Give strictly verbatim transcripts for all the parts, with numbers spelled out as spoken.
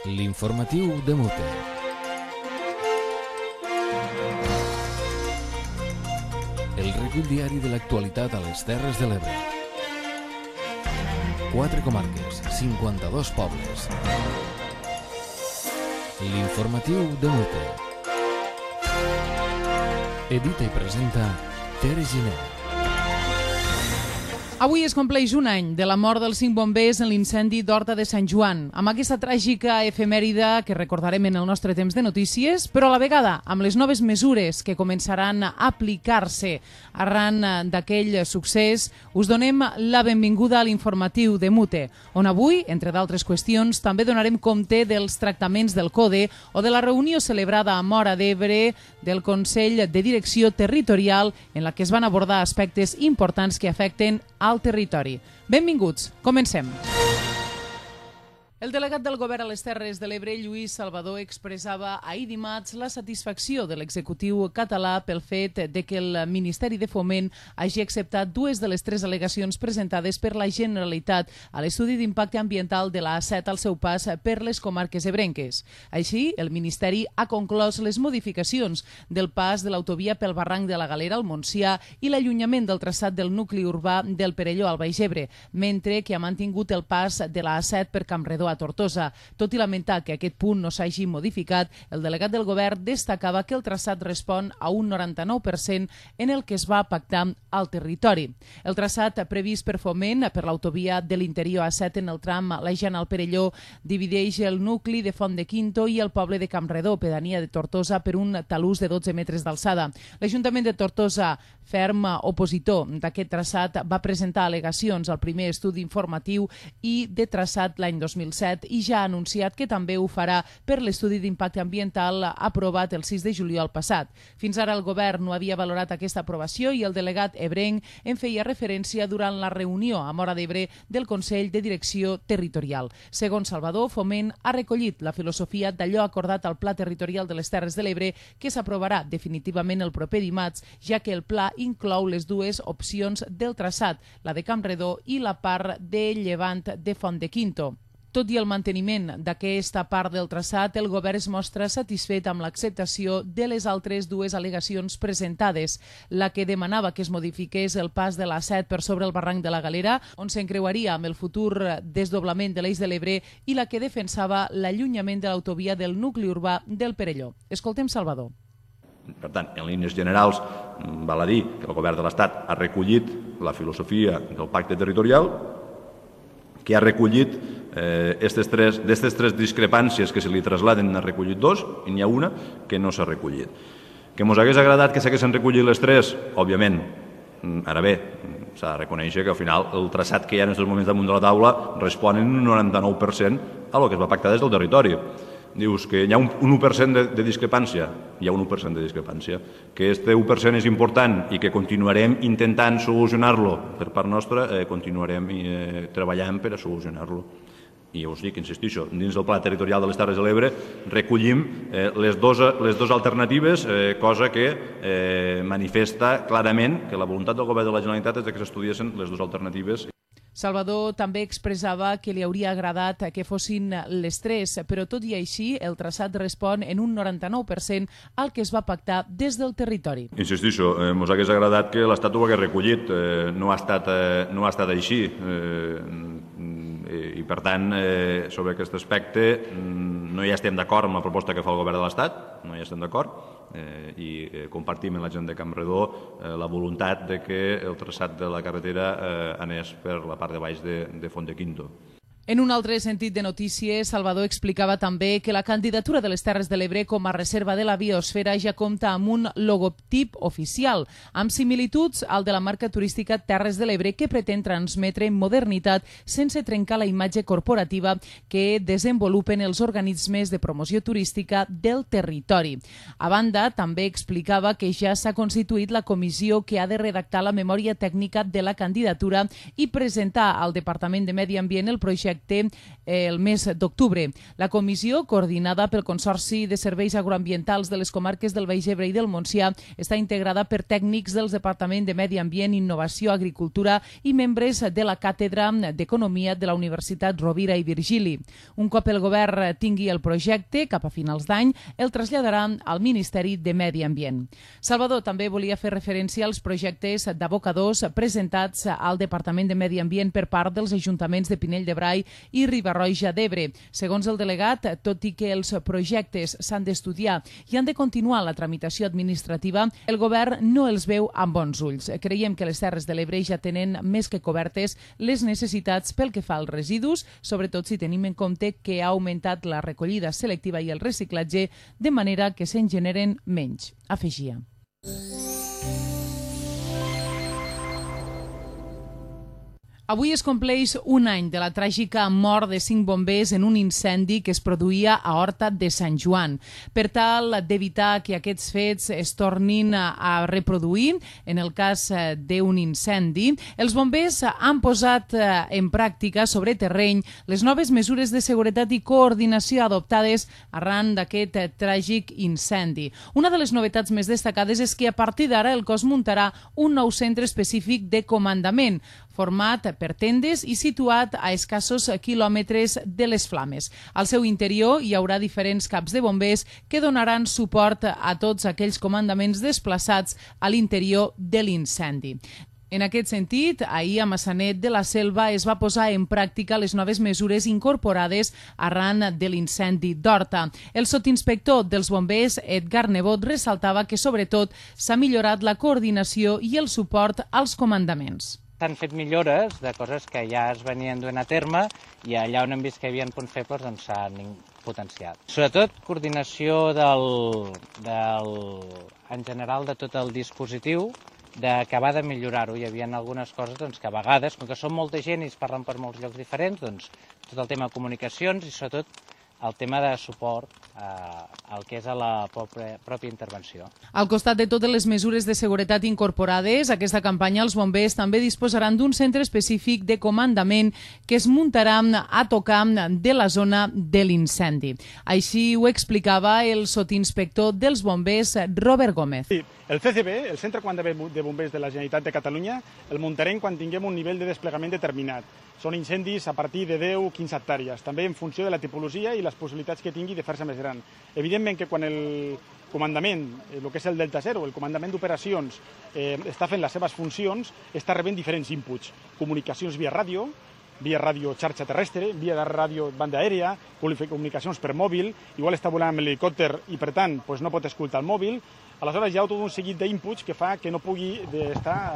L'informatiu de Mute. El recull diari de l'actualitat a les Terres de l'Ebre. Quatre comarques, cinquanta-dos pobles. L'informatiu de Mute. Edita i presenta Tere Giner. Avui es compleix un any de la mort dels cinc bombers en l'incendi d'Horta de Sant Joan, amb aquesta tràgica efemèride que recordarem en el nostre temps de notícies, però a la vegada amb les noves mesures que començaran a aplicar-se arran d'aquell succés, us donem la benvinguda a l'informatiu de Mute, on avui, entre d'altres qüestions, també donarem compte dels tractaments del CODE o de la reunió celebrada a Móra d'Ebre del Consell de Direcció Territorial en la que es van abordar aspectes importants que afecten al territori. Benvinguts, comencem. El delegat del Govern a les Terres de l'Ebre, Lluís Salvador, expressava ahir dimarts la satisfacció de l'executiu català pel fet de que el Ministeri de Foment hagi acceptat dues de les tres al·legacions presentades per la Generalitat a l'estudi d'impacte ambiental de la A set al seu pas per les comarques ebrenques. Així, el Ministeri ha conclòs les modificacions del pas de l'autovia pel barranc de la Galera al Montsià i l'allunyament del traçat del nucli urbà del Perelló al Baix Ebre, mentre que ha mantingut el pas de la A set per Campredó a Tortosa. Tot i lamentar que aquest punt no s'hagi modificat, el delegat del govern destacava que el traçat respon a un noranta-nou per cent en el que es va pactar al territori. El traçat previst per Foment per l'autovia de l'interior A set en el tram Lejana al Perelló divideix el nucli de Font de Quinto i el poble de Campredó, pedania de Tortosa, per un talús de dotze metres d'alçada. L'Ajuntament de Tortosa, ferm opositor d'aquest traçat, va presentar al·legacions al primer estudi informatiu i de traçat l'any dos mil set i ja ha anunciat que també ho farà per l'estudi d'impacte ambiental aprovat el sis de juliol passat. Fins ara el govern no havia valorat aquesta aprovació i el delegat ebrenc en feia referència durant la reunió a Móra d'Ebre del Consell de Direcció Territorial. Segons Salvador, Foment ha recollit la filosofia d'allò acordat al Pla Territorial de les Terres de l'Ebre que s'aprovarà definitivament el proper dimarts, ja que el pla inclou les dues opcions del traçat, la de Campredó i la part de llevant de Font de Quinto. Tot i el manteniment d'aquesta part del traçat, el govern es mostra satisfet amb l'acceptació de les altres dues al·legacions presentades, la que demanava que es modifiqués el pas de la A set per sobre el barranc de la Galera, on s'encreuaria amb el futur desdoblament de l'Eix de l'Ebre, i la que defensava l'allunyament de l'autovia del nucli urbà del Perelló. Escoltem Salvador. Per tant, en línies generals, val a dir que el govern de l'Estat ha recollit la filosofia del pacte territorial, que ha recollit d'aquestes eh, tres, tres discrepàncies que se li trasladen, n'ha recollit dos, i n'hi ha una que no s'ha recollit. Que ens hagués agradat que s'haguessin recollit les tres, òbviament. Ara bé, s'ha de reconèixer que al final el traçat que hi ha en aquests moments damunt de la taula respon en un noranta-nou per cent a el que es va pactar des del territori. Dius que hi ha un u per cent de, de discrepància, hi ha un u per cent de discrepància, que aquest u per cent és important i que continuarem intentant solucionar-lo per part nostra, eh, continuarem eh, treballant per a solucionar-lo. I ja us dic, insistixo, dins del Pla Territorial de les Terres de l'Ebre recollim eh, les, dos, les dos alternatives, eh, cosa que eh, manifesta clarament que la voluntat del govern de la Generalitat és que s'estudiessin les dues alternatives. Salvador també expressava que li hauria agradat que fossin les tres, però tot i així el traçat respon en un noranta-nou per cent al que es va pactar des del territori. Insistixo, eh, ens hagués agradat que l'Estat ho hagués recollit, eh, no, ha estat, eh, no ha estat així, eh, i per tant, eh, sobre aquest aspecte no hi estem d'acord amb la proposta que fa el govern de l'Estat, no hi estem d'acord, Eh, i eh, compartim amb la gent de Campredó eh, la voluntat de que el traçat de la carretera eh, anés per la part de baix de, de Font de Quinto. En un altre sentit de notícies, Salvador explicava també que la candidatura de les Terres de l'Ebre com a reserva de la biosfera ja compta amb un logotip oficial, amb similituds al de la marca turística Terres de l'Ebre, que pretén transmetre modernitat sense trencar la imatge corporativa que desenvolupen els organismes de promoció turística del territori. A banda, també explicava que ja s'ha constituït la comissió que ha de redactar la memòria tècnica de la candidatura i presentar al Departament de Medi Ambient el projecte projecte el mes d'octubre. La comissió, coordinada pel Consorci de Serveis Agroambientals de les comarques del Baix Ebre i del Montsià, està integrada per tècnics dels Departaments de Medi Ambient, Innovació, Agricultura i membres de la Càtedra d'Economia de la Universitat Rovira i Virgili. Un cop el govern tingui el projecte, cap a finals d'any, el traslladarà al Ministeri de Medi Ambient. Salvador també volia fer referència als projectes d'abocadors presentats al Departament de Medi Ambient per part dels ajuntaments de Pinell de Brai i Riba-roja d'Ebre. Segons el delegat, tot i que els projectes s'han d'estudiar i han de continuar la tramitació administrativa, el govern no els veu amb bons ulls. Creiem que les Terres de l'Ebre ja tenen més que cobertes les necessitats pel que fa als residus, sobretot si tenim en compte que ha augmentat la recollida selectiva i el reciclatge, de manera que se'n generen menys, afegia. Avui es compleix un any de la tràgica mort de cinc bombers en un incendi que es produïa a Horta de Sant Joan. Per tal d'evitar que aquests fets es tornin a reproduir, en el cas d'un incendi, els bombers han posat en pràctica sobre terreny les noves mesures de seguretat i coordinació adoptades arran d'aquest tràgic incendi. Una de les novetats més destacades és que a partir d'ara el cos muntarà un nou centre específic de comandament, format per tendes i situat a escassos quilòmetres de les flames. Al seu interior hi haurà diferents caps de bombers que donaran suport a tots aquells comandaments desplaçats a l'interior de l'incendi. En aquest sentit, ahir a Maçanet de la Selva es va posar en pràctica les noves mesures incorporades arran de l'incendi d'Horta. El sotinspector dels bombers, Edgar Nebot, ressaltava que sobretot s'ha millorat la coordinació i el suport als comandaments. S'han fet millores de coses que ja es venien duent a terme i allà on hem vist que hi havia punts febles doncs s'han potenciat. Sobretot coordinació del, del, en general de tot el dispositiu, d'acabar de millorar-ho. Hi havia algunes coses doncs, que a vegades, com que som molta gent i es parlen per molts llocs diferents, doncs, tot el tema de comunicacions i sobretot el tema de suport al que és a la pròpia intervenció. Al costat de totes les mesures de seguretat incorporades, aquesta campanya els bombers també disposaran d'un centre específic de comandament que es muntarà a tocar de la zona de l'incendi. Així ho explicava el sotinspector dels bombers, Robert Gómez. Sí, el C C B, el Centre de Comandament de Bombers de la Generalitat de Catalunya, el muntarem quan tinguem un nivell de desplegament determinat. Són incendis a partir de deu a quinze hectàrees, també en funció de la tipologia i les possibilitats que tingui de fer-se més gran. Evidentment que quan el comandament, el que és el Delta Zero, el comandament d'operacions, eh, està fent les seves funcions, està rebent diferents inputs. Comunicacions via ràdio, via ràdio xarxa terrestre, via ràdio banda aèria, comunicacions per mòbil, igual està volant amb l'helicòpter i per tant doncs no pot escoltar el mòbil. Aleshores hi ha tot un seguit d'inputs que fa que no pugui estar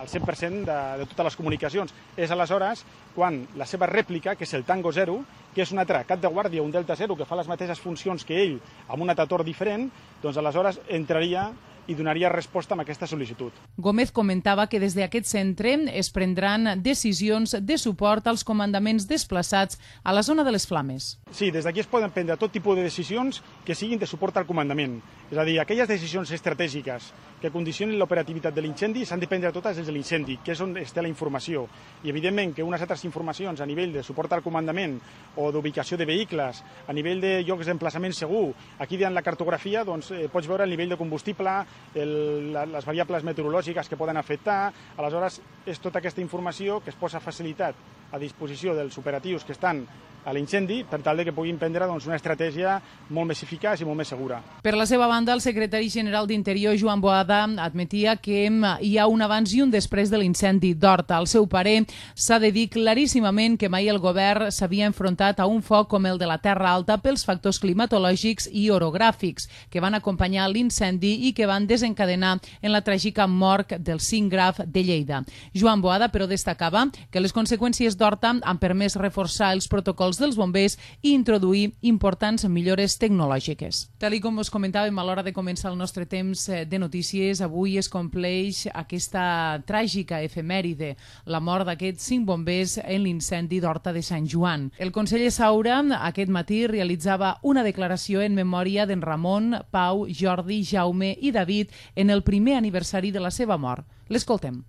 al cent per cent de, de totes les comunicacions. És aleshores quan la seva rèplica, que és el Tango Zero, que és un altre cap de guàrdia, un Delta Zero, que fa les mateixes funcions que ell, amb un atator diferent, doncs aleshores entraria i donaria resposta a aquesta sol·licitud. Gómez comentava que des d'aquest centre es prendran decisions de suport als comandaments desplaçats a la zona de les flames. Sí, des d'aquí es poden prendre tot tipus de decisions que siguin de suport al comandament. És a dir, aquelles decisions estratègiques que condicionin l'operativitat de l'incendi s'han de prendre totes des de l'incendi, que és on es té la informació. I evidentment que unes altres informacions a nivell de suport al comandament o d'ubicació de vehicles, a nivell de llocs d'emplaçament segur, aquí en la cartografia doncs, eh, pots veure el nivell de combustible, el, les variables meteorològiques que poden afectar. Aleshores, és tota aquesta informació que es posa facilitat a disposició dels operatius que estan a l'incendi per tal de que puguin prendre doncs, una estratègia molt més eficaç i molt més segura. Per la seva banda, el secretari general d'Interior, Joan Boada, admetia que hi ha un abans i un després de l'incendi d'Horta. Al seu parer, s'ha de dir claríssimament que mai el govern s'havia enfrontat a un foc com el de la Terra Alta pels factors climatològics i orogràfics que van acompanyar l'incendi i que van desencadenar en la tràgica mort del cinc Graf de Lleida. Joan Boada, però, destacava que les conseqüències d'Horta han permès reforçar els protocols dels bombers i introduir importants millores tecnològiques. Tal i com us comentàvem a l'hora de començar el nostre temps de notícies, avui es compleix aquesta tràgica efemèride, la mort d'aquests cinc bombers en l'incendi d'Horta de Sant Joan. El conseller Saura aquest matí realitzava una declaració en memòria d'en Ramon, Pau, Jordi, Jaume i David en el primer aniversari de la seva mort. L'escoltem.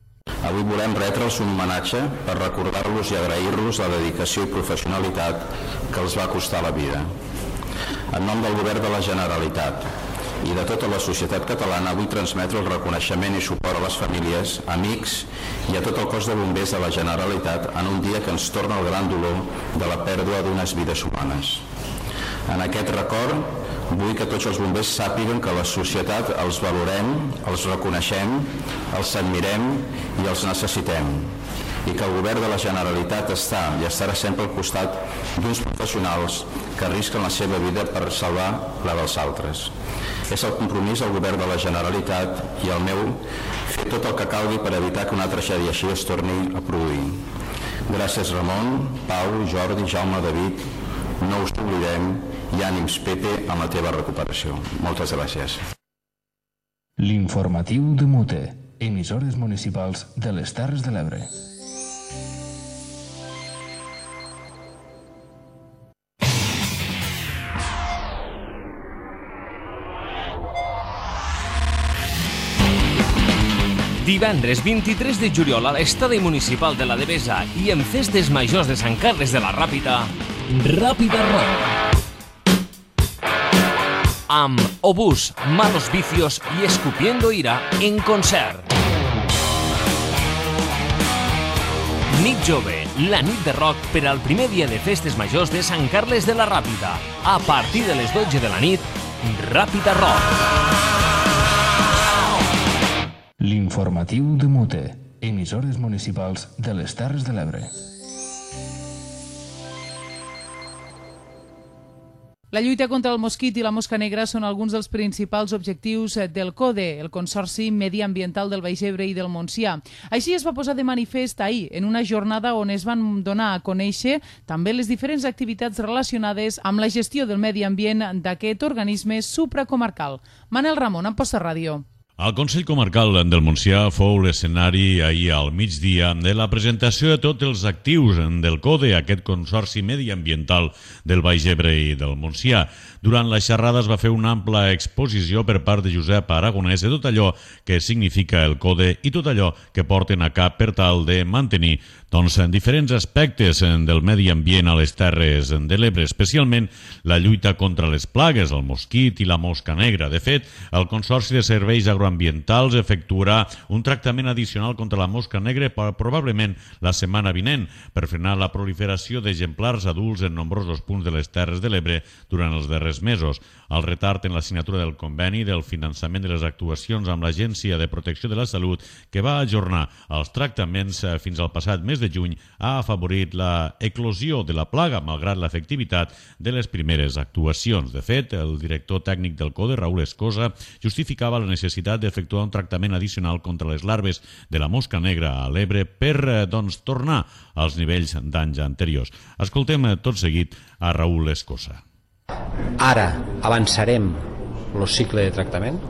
Avui volem retre'ls un homenatge per recordar-los i agrair-los la dedicació i professionalitat que els va costar la vida. En nom del Govern de la Generalitat i de tota la societat catalana vull transmetre el reconeixement i suport a les famílies, amics i a tot el cos de bombers de la Generalitat en un dia que ens torna el gran dolor de la pèrdua d'unes vides humanes. En aquest record vull que tots els bombers sàpiguen que la societat els valorem, els reconeixem, els admirem i els necessitem, i que el Govern de la Generalitat està i estarà sempre al costat d'uns professionals que arrisquen la seva vida per salvar la dels altres. És el compromís del Govern de la Generalitat i el meu fer tot el que calgui per evitar que una tragèdia així es torni a produir. Gràcies Ramon, Pau, Jordi, Jaume, David, no us oblidem i ànims Pepe amb la teva recuperació. Moltes gràcies. L'informatiu de Mute, emissores municipals de les Terres de l'Ebre. Divendres vint-i-tres de juliol a l'estadi municipal de la Devesa i en festes majors de Sant Carles de la Ràpita, Ràpita Rock. Amb Obús, Malos Vicios i Escupiendo Ira en concert. Nit Jove, la nit de rock per al primer dia de festes majors de Sant Carles de la Ràpita. A partir de les dotze de la nit, Ràpita Rock. L'informatiu de Mute, emissores municipals de les Terres de l'Ebre. La lluita contra el mosquit i la mosca negra són alguns dels principals objectius del CODE, el Consorci Mediambiental del Baix Ebre i del Montsià. Així es va posar de manifest ahir, en una jornada on es van donar a conèixer també les diferents activitats relacionades amb la gestió del medi ambient d'aquest organisme supracomarcal. Manel Ramon, Amposta Ràdio. El Consell Comarcal del Montsià fou l'escenari ahir al migdia de la presentació de tots els actius del CODE, aquest Consorci Mediambiental del Baix Ebre i del Montsià. Durant la xerrada es va fer una ampla exposició per part de Josep Aragonès de tot allò que significa el CODE i tot allò que porten a cap per tal de mantenir doncs, en diferents aspectes del medi ambient a les Terres de l'Ebre, especialment la lluita contra les plagues, el mosquit i la mosca negra. De fet, el Consorci de Serveis Agroambientals efectuarà un tractament addicional contra la mosca negra probablement la setmana vinent per frenar la proliferació d'exemplars adults en nombrosos punts de les Terres de l'Ebre durant els darrers mesos. El retard en la signatura del conveni del finançament de les actuacions amb l'Agència de Protecció de la Salut, que va ajornar els tractaments fins al passat mes de juny, ha afavorit la eclosió de la plaga, malgrat l'efectivitat de les primeres actuacions. De fet, el director tècnic del CODE, Raül Escosa, justificava la necessitat d'efectuar un tractament addicional contra les larves de la mosca negra a l'Ebre per doncs, tornar als nivells d'anys anteriors. Escoltem tot seguit a Raül Escosa. Ara avançarem el cicle de tractament,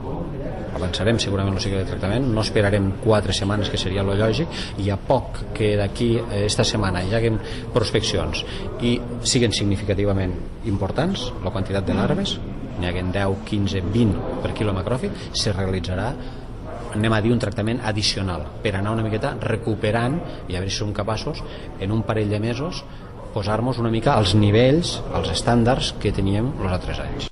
avançarem segurament el cicle de tractament, no esperarem quatre setmanes, que seria lo lògic, i a poc que d'aquí esta setmana hi haguen prospeccions i siguen significativament importants, la quantitat de larves, n'hi haguen deu, quinze, vint per quilo macròfit, se realitzarà, anem a dir, un tractament addicional per anar una miqueta recuperant i a veure si som capaços en un parell de mesos posar-nos una mica als nivells, als estàndards que teníem els altres anys.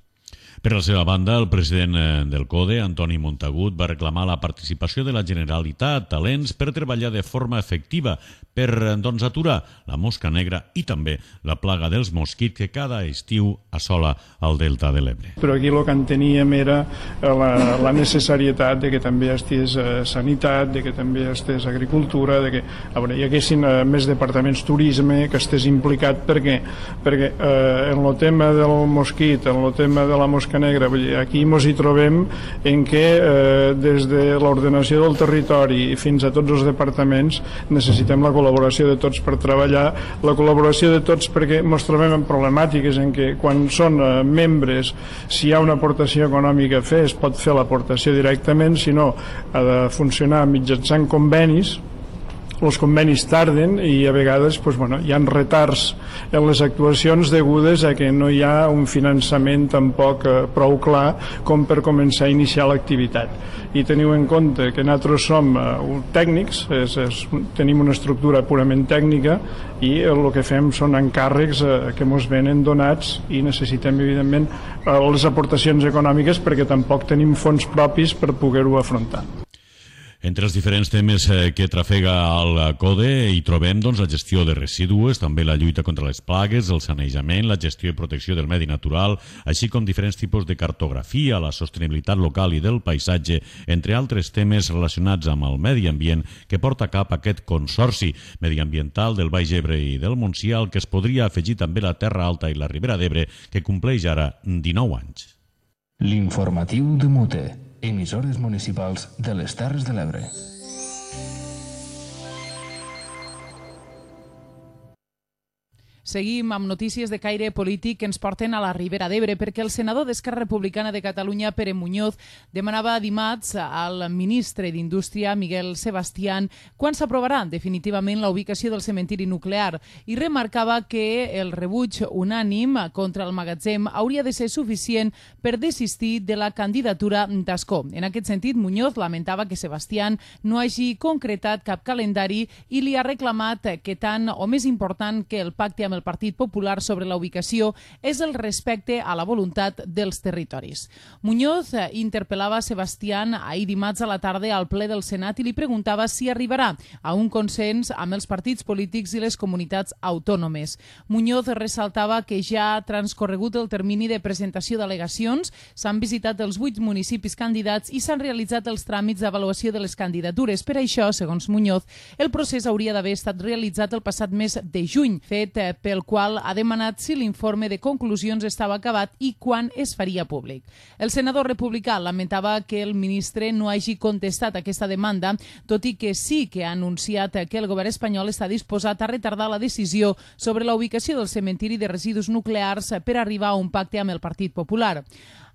Per la seva banda, el president del CODE, Antoni Montagut, va reclamar la participació de la Generalitat, talents, per treballar de forma efectiva per doncs, aturar la mosca negra i també la plaga dels mosquits que cada estiu assola el delta de l'Ebre. Però aquí el que enteníem era la, la necessarietat de que també estés eh, sanitat, de que també estés agricultura, de que a veure, hi haguessin eh, més departaments turisme, que estés implicat, perquè, perquè eh, en el tema del mosquit, en el tema de la mosca negra, aquí ens hi trobem en què eh, des de l'ordenació del territori fins a tots els departaments necessitem la col·laboració de tots per treballar, la col·laboració de tots perquè ens trobem en problemàtiques en què quan són eh, membres, si hi ha una aportació econòmica a fer, es pot fer l'aportació directament, si no ha de funcionar mitjançant convenis, els convenis tarden i a vegades pues, bueno, hi ha retards en les actuacions degudes a que no hi ha un finançament tampoc eh, prou clar com per començar a iniciar l'activitat. I teniu en compte que nosaltres som eh, tècnics, és, és, tenim una estructura purament tècnica i el que fem són encàrrecs eh, que ens venen donats i necessitem evidentment eh, les aportacions econòmiques perquè tampoc tenim fons propis per poder-ho afrontar. Entre els diferents temes que trafega el CODE hi trobem doncs, la gestió de residus, també la lluita contra les plagues, el sanejament, la gestió i protecció del medi natural, així com diferents tipus de cartografia, la sostenibilitat local i del paisatge, entre altres temes relacionats amb el medi ambient que porta a cap aquest consorci mediambiental del Baix Ebre i del Montsià, al que es podria afegir també la Terra Alta i la Ribera d'Ebre, que compleix ara dinou anys. L'informatiu de Mute. Emissores municipals de les Terres de l'Ebre. Seguim amb notícies de caire polític que ens porten a la Ribera d'Ebre perquè el senador d'Esquerra Republicana de Catalunya, Pere Muñoz, demanava dimarts al ministre d'Indústria, Miguel Sebastián, quan s'aprovarà definitivament la ubicació del cementiri nuclear i remarcava que el rebuig unànim contra el magatzem hauria de ser suficient per desistir de la candidatura d'Ascó. En aquest sentit, Muñoz lamentava que Sebastián no hagi concretat cap calendari i li ha reclamat que tant o més important que el pacte amb el Partit Popular sobre la ubicació és el respecte a la voluntat dels territoris. Muñoz interpel·lava Sebastián ahir dimarts a la tarda al ple del Senat i li preguntava si arribarà a un consens amb els partits polítics i les comunitats autònomes. Muñoz ressaltava que ja ha transcorregut el termini de presentació d'al·legacions, s'han visitat els vuit municipis candidats i s'han realitzat els tràmits d'avaluació de les candidatures. Per això, segons Muñoz, el procés hauria d'haver estat realitzat el passat mes de juny, fet pel qual ha demanat si l'informe de conclusions estava acabat i quan es faria públic. El senador republicà lamentava que el ministre no hagi contestat aquesta demanda, tot i que sí que ha anunciat que el govern espanyol està disposat a retardar la decisió sobre la ubicació del cementiri de residus nuclears per arribar a un pacte amb el Partit Popular.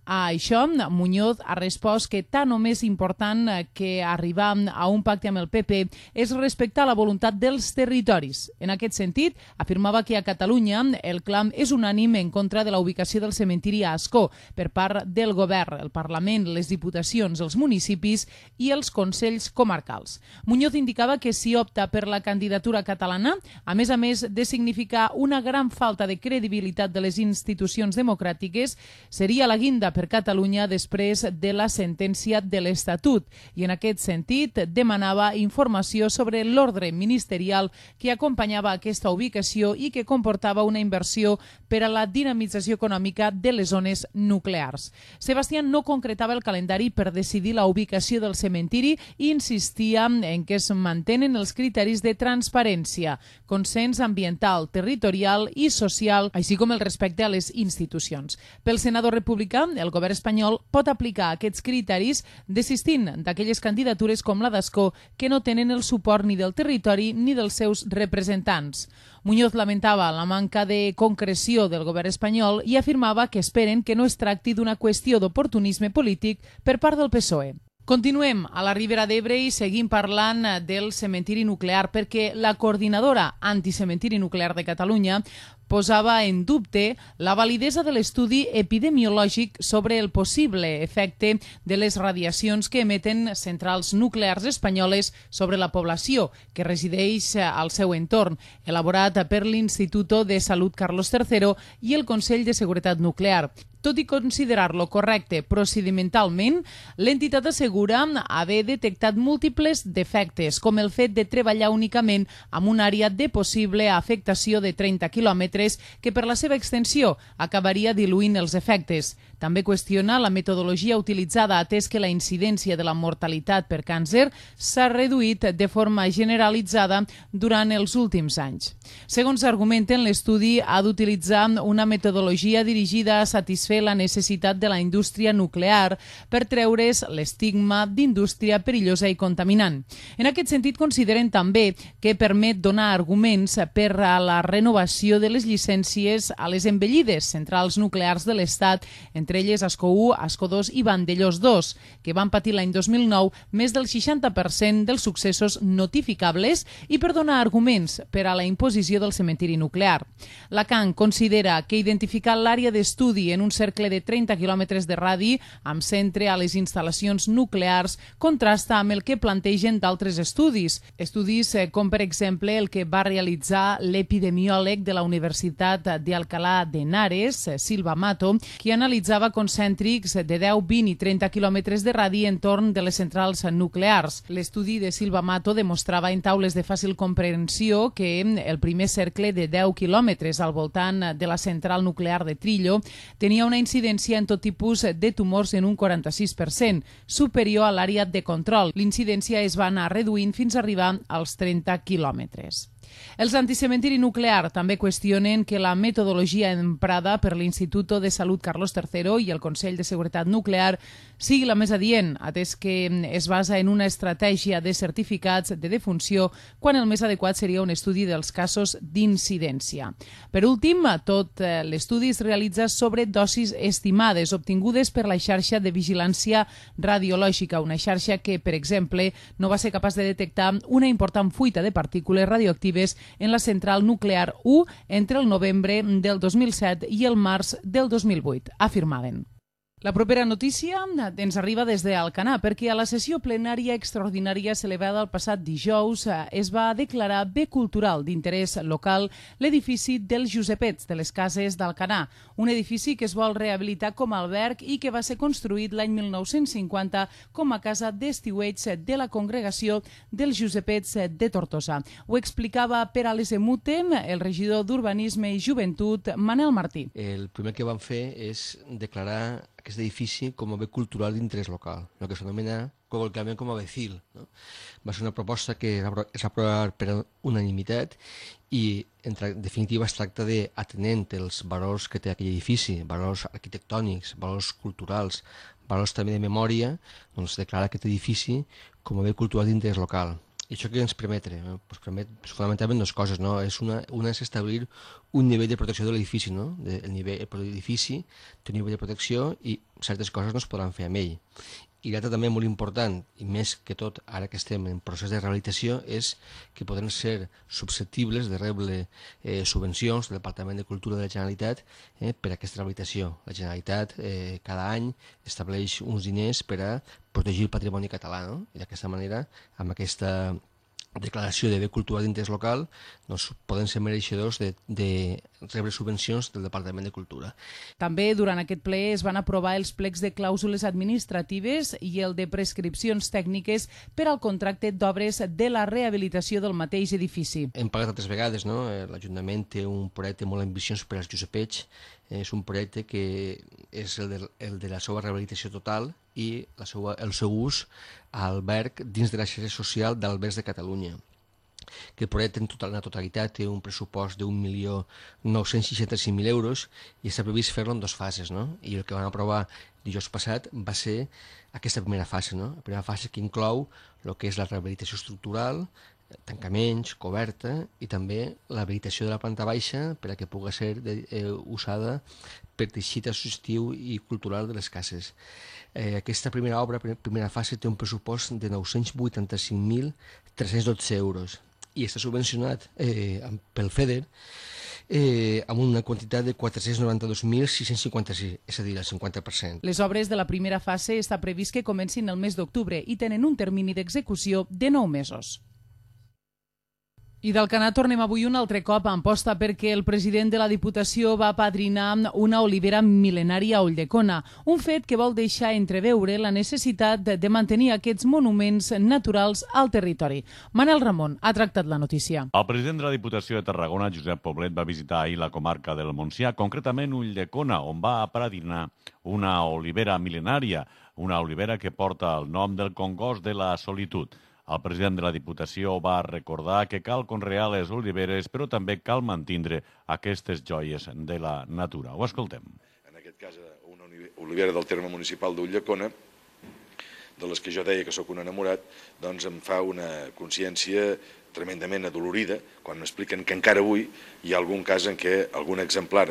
A això, Muñoz ha respost que tant o més important que arribar a un pacte amb el P P és respectar la voluntat dels territoris. En aquest sentit, afirmava que a Catalunya el clam és unànime en contra de la ubicació del cementiri a Ascó per part del govern, el Parlament, les diputacions, els municipis i els consells comarcals. Muñoz indicava que si opta per la candidatura catalana, a més a més de significar una gran falta de credibilitat de les institucions democràtiques, seria la guinda per Catalunya després de la sentència de l'Estatut i en aquest sentit demanava informació sobre l'ordre ministerial que acompanyava aquesta ubicació i que comportava una inversió per a la dinamització econòmica de les zones nuclears. Sebastián no concretava el calendari per decidir la ubicació del cementiri i insistia en que es mantenen els criteris de transparència, consens ambiental, territorial i social, així com el respecte a les institucions. Pel senador republicà, el govern espanyol pot aplicar aquests criteris desistint d'aquelles candidatures com la d'Ascó que no tenen el suport ni del territori ni dels seus representants. Muñoz lamentava la manca de concreció del govern espanyol i afirmava que esperen que no es tracti d'una qüestió d'oportunisme polític per part del P S O E. Continuem a la Ribera d'Ebre i seguim parlant del cementiri nuclear perquè la coordinadora anticementiri nuclear de Catalunya posava en dubte la validesa de l'estudi epidemiològic sobre el possible efecte de les radiacions que emeten centrals nuclears espanyoles sobre la població que resideix al seu entorn, elaborat per l'Instituto de Salut Carlos tercero i el Consell de Seguretat Nuclear. Tot i considerar-lo correcte procedimentalment, l'entitat assegura haver detectat múltiples defectes, com el fet de treballar únicament amb una àrea de possible afectació de trenta quilòmetres que per la seva extensió acabaria diluint els efectes. També qüestiona la metodologia utilitzada atès que la incidència de la mortalitat per càncer s'ha reduït de forma generalitzada durant els últims anys. Segons argumenten, l'estudi ha d'utilitzar una metodologia dirigida a satisfer satisfer la necessitat de la indústria nuclear per treure's l'estigma d'indústria perillosa i contaminant. En aquest sentit, consideren també que permet donar arguments per a la renovació de les llicències a les envellides centrals nuclears de l'Estat, entre elles Ascó u, Ascó dos i Vandellós dos, que van patir l'any dos mil nou més del seixanta per cent dels successos notificables, i per donar arguments per a la imposició del cementiri nuclear. La C A N considera que identificar l'àrea d'estudi en un cercle de trenta quilòmetres de radi amb centre a les instal·lacions nuclears contrasta amb el que plantegen d'altres estudis. Estudis com, per exemple, el que va realitzar l'epidemiòleg de la Universitat de Alcalá de Henares, Silva Mato, que analitzava concèntrics de deu, vint i trenta quilòmetres de radi entorn de les centrals nuclears. L'estudi de Silva Mato demostrava en taules de fàcil comprensió que el primer cercle de deu quilòmetres al voltant de la central nuclear de Trillo tenia una incidència en tot tipus de tumors en un quaranta-sis per cent, superior a l'àrea de control. L'incidència es va anar reduint fins a arribar als trenta quilòmetres. Els anticementiri nuclear també qüestionen que la metodologia emprada per l'Instituto de Salut Carlos tercero i el Consell de Seguretat Nuclear sigui la més adient, atès que es basa en una estratègia de certificats de defunció quan el més adequat seria un estudi dels casos d'incidència. Per últim, tot l'estudi es realitza sobre dosis estimades obtingudes per la xarxa de vigilància radiològica, una xarxa que, per exemple, no va ser capaç de detectar una important fuita de partícules radioactives en la central nuclear u entre el novembre del dos mil set i el març del dos mil vuit, afirmaven. La propera notícia ens arriba des d'Alcanar, perquè a la sessió plenària extraordinària celebrada el passat dijous es va declarar bé cultural d'interès local l'edifici dels Josepets de les Cases d'Alcanar, un edifici que es vol rehabilitar com a alberg i que va ser construït l'any mil nou-cents cinquanta com a casa d'estiueig de la congregació dels Josepets de Tortosa. Ho explicava per a l'S M U T el regidor d'Urbanisme i Joventut, Manel Martí. El primer que van fer és declarar aquest edifici com a bé cultural d'interès local, el que s'anomena col·loquialment com a BECIL. No? Va ser una proposta que es va aprovar per unanimitat i, en definitiva, es tracta d'atenent els valors que té aquell edifici, valors arquitectònics, valors culturals, valors també de memòria, doncs declarar aquest edifici com a bé cultural d'interès local. I això què ens permet? Ens permet fonamentalment dues coses. No? És una, una és establir un nivell de protecció de l'edifici. No? El nivell de l'edifici té un nivell de protecció i certes coses no es podran fer amb ell. I l'altre també molt important, i més que tot ara que estem en procés de rehabilitació, és que poden ser susceptibles de rebre eh, subvencions del Departament de Cultura de la Generalitat eh, per a aquesta rehabilitació. La Generalitat eh, cada any estableix uns diners per a protegir el patrimoni català, no? I d'aquesta manera, amb aquesta declaració de bé cultural d'interès local, doncs poden ser mereixedors de, de rebre subvencions del Departament de Cultura. També durant aquest ple es van aprovar els plecs de clàusules administratives i el de prescripcions tècniques per al contracte d'obres de la rehabilitació del mateix edifici. Hem parlat altres vegades, no? L'Ajuntament té un projecte molt ambiciós per als Josepets. És un projecte que és el de, el de la seva rehabilitació total i la seva, el seu ús a alberg dins de la xarxa social d'albergs de Catalunya. Que el projecte en total, la totalitat té un pressupost d'un milió nou-cents seixanta-cinc mil euros i està previst fer-lo en dues fases. No? I el que van aprovar dijous passat va ser aquesta primera fase. No? La primera fase que inclou el que és la rehabilitació estructural, tancaments, coberta i també l'habilitació de la planta baixa per a que pugui ser de, eh, usada per teixit associatiu i cultural de les cases. Eh, aquesta primera obra, primera fase, té un pressupost de nou-cents vuitanta-cinc mil tres-cents dotze euros i està subvencionat eh, pel FEDER eh, amb una quantitat de quatre-cents noranta-dos mil sis-cents cinquanta-sis, és a dir, el cinquanta per cent. Les obres de la primera fase està previst que comencin el mes d'octubre i tenen un termini d'execució de nou mesos. I d'Alcanar tornem avui un altre cop a Amposta perquè el president de la Diputació va apadrinar una olivera mil·lenària a Ulldecona, un fet que vol deixar entreveure la necessitat de mantenir aquests monuments naturals al territori. Manel Ramon ha tractat la notícia. El president de la Diputació de Tarragona, Josep Poblet, va visitar ahir la comarca del Montsià, concretament Ulldecona, on va apadrinar una olivera mil·lenària, una olivera que porta el nom del congost de la solitud. El president de la Diputació va recordar que cal conrear les oliveres, però també cal mantindre aquestes joies de la natura. Ho escoltem. En aquest cas una olivera del terme municipal d'Ulldecona, de les que jo deia que sóc un enamorat, doncs em fa una consciència tremendament adolorida quan m'expliquen que encara avui hi ha algun cas en què algun exemplar,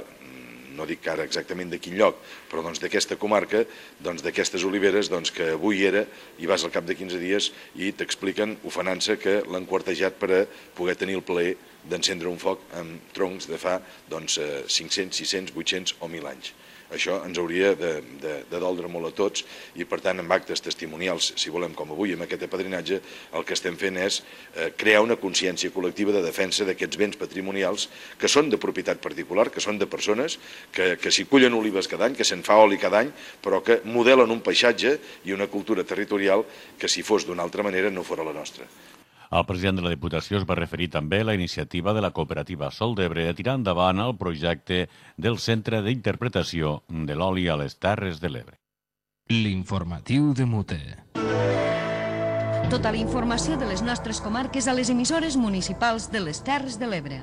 no dic ara exactament de quin lloc, però doncs d'aquesta comarca, doncs d'aquestes oliveres, doncs que avui era, i vas al cap de quinze dies i t'expliquen, ofenant-se, que l'han quartejat per a poder tenir el plaer d'encendre un foc amb troncs de fa doncs, cinc-cents, sis-cents, vuit-cents o mil anys. Això ens hauria de, de, de doldre molt a tots i, per tant, amb actes testimonials, si volem, com avui, amb aquest apadrinatge, el que estem fent és eh, crear una consciència col·lectiva de defensa d'aquests béns patrimonials que són de propietat particular, que són de persones que, que s'hi cullen olives cada any, que se'n fa oli cada any, però que modelen un paisatge i una cultura territorial que, si fos d'una altra manera, no fora la nostra. El president de la Diputació es va referir també a la iniciativa de la cooperativa Sol d'Ebre de tirar endavant el projecte del Centre d'Interpretació de l'Oli a les Terres de l'Ebre. L'informatiu de Mute. Tota la informació de les nostres comarques a les emissores municipals de les Terres de l'Ebre.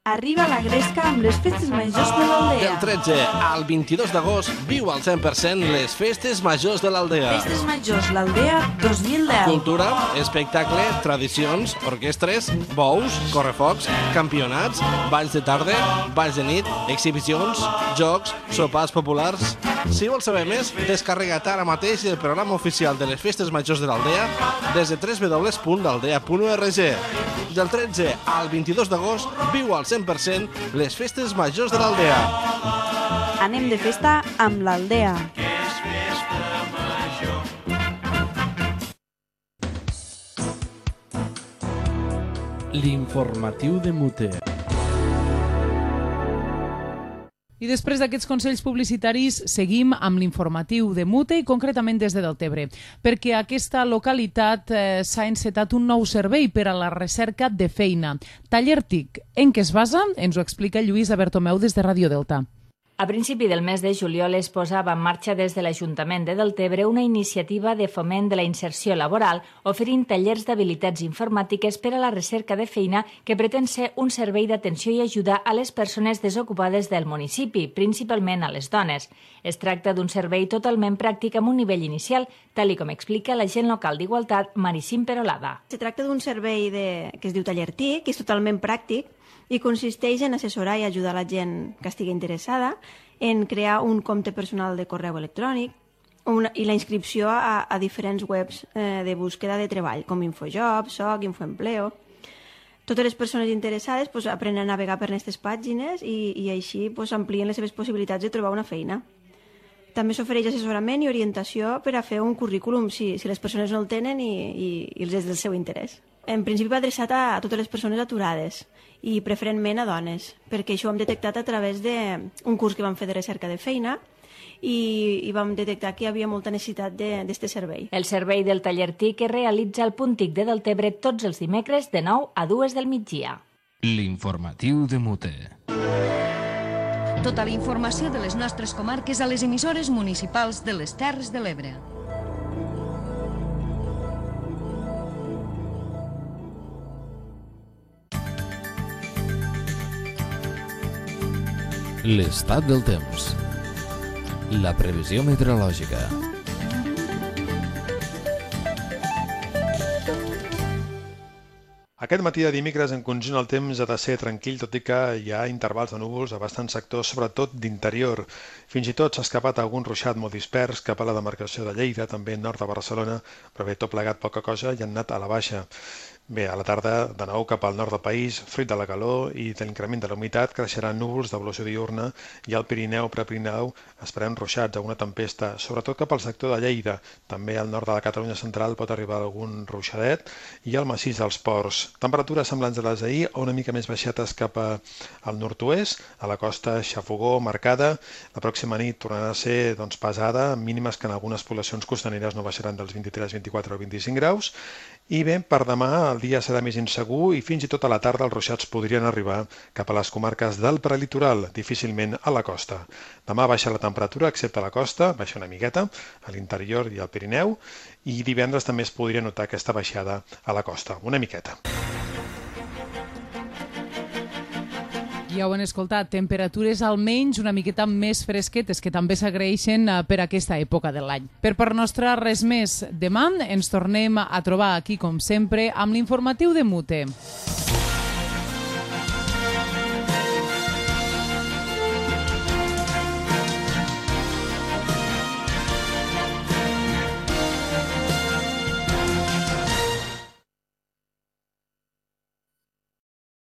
Arriba la gresca amb les festes majors de l'Aldea. Del tretze al vint-i-dos d'agost viu al cent per cent les festes majors de l'Aldea. Festes majors l'Aldea dos mil deu. Cultura, espectacle, tradicions, orquestres, bous, correfocs, campionats, balls de tarda, balls de nit, exhibicions, jocs, sopars populars. Si vols saber més, descarrega't ara mateix el programa oficial de les festes majors de l'Aldea des de w w w punt aldea punt org. Del tretze al vint-i-dos d'agost viu al cent per cent les festes majors de l'Aldea. Anem de festa amb l'Aldea. L'informatiu de Mute. I després d'aquests consells publicitaris seguim amb l'informatiu de Mute i concretament des de Deltebre, perquè a aquesta localitat eh, s'ha encetat un nou servei per a la recerca de feina. Taller T I C. En què es basa? Ens ho explica Lluïsa Bertomeu des de Ràdio Delta. A principi del mes de juliol es posava en marxa des de l'Ajuntament de Deltebre una iniciativa de foment de la inserció laboral oferint tallers d'habilitats informàtiques per a la recerca de feina que pretén ser un servei d'atenció i ajuda a les persones desocupades del municipi, principalment a les dones. Es tracta d'un servei totalment pràctic amb un nivell inicial, tal com explica l'agent local d'Igualtat, Maricín Perolada. Se tracta d'un servei de... que es diu Taller T I C, que és totalment pràctic, i consisteix en assessorar i ajudar la gent que estigui interessada en crear un compte personal de correu electrònic una, i la inscripció a, a diferents webs eh, de búsqueda de treball, com Infojob, Soc, Infoempleo. Totes les persones interessades pues, aprenen a navegar per aquestes pàgines i, i així pues, amplien les seves possibilitats de trobar una feina. També s'ofereix assessorament i orientació per a fer un currículum si, si les persones no el tenen i, i, i els és del seu interès. En principi va adreçat a, a totes les persones aturades i preferentment a dones, perquè això ho hem detectat a través d'un curs que vam fer de recerca de feina i, i vam detectar que hi havia molta necessitat d'aquest servei. El servei del Taller T I C es realitza al punt T I C de Deltebre tots els dimecres de nou a dues del migdia. L'informatiu de Mute. Tota la informació de les nostres comarques a les emissores municipals de les Terres de l'Ebre. L'estat del temps. La previsió meteorològica. Aquest matí de dimecres en conjunt el temps ha de ser tranquil, tot i que hi ha intervals de núvols a bastants sectors, sobretot d'interior. Fins i tot s'ha escapat algun ruixat molt dispers cap a la demarcació de Lleida, també nord de Barcelona, però bé, tot plegat poca cosa i han anat a la baixa. Bé, a la tarda, de nou cap al nord del país, fruit de la calor i de l'increment de la humitat, creixeran núvols d'evolució diurna i al Pirineu, Prepirineu, esperem ruixats, alguna tempesta, sobretot cap al sector de Lleida. També al nord de la Catalunya central pot arribar algun ruixadet i al massís dels Ports. Temperatures semblants a les d'ahir o una mica més baixetes cap al nord-oest, a la costa xafogó marcada. La pròxima nit tornarà a ser doncs, pesada, mínimes que en algunes poblacions costaneres no baixaran dels vint-i-tres, vint-i-quatre o vint-i-cinc graus. I bé, per demà el dia serà més insegur i fins i tot a la tarda els ruixats podrien arribar cap a les comarques del prelitoral, difícilment a la costa. Demà baixa la temperatura, excepte a la costa, baixa una miqueta, a l'interior i al Pirineu, i divendres també es podria notar aquesta baixada a la costa, una miqueta. Ja ho han escoltat, temperatures almenys una miqueta més fresquetes, que també s'agraeixen per aquesta època de l'any. Per part nostra, res més. Demà ens tornem a trobar aquí, com sempre, amb l'informatiu de Mute.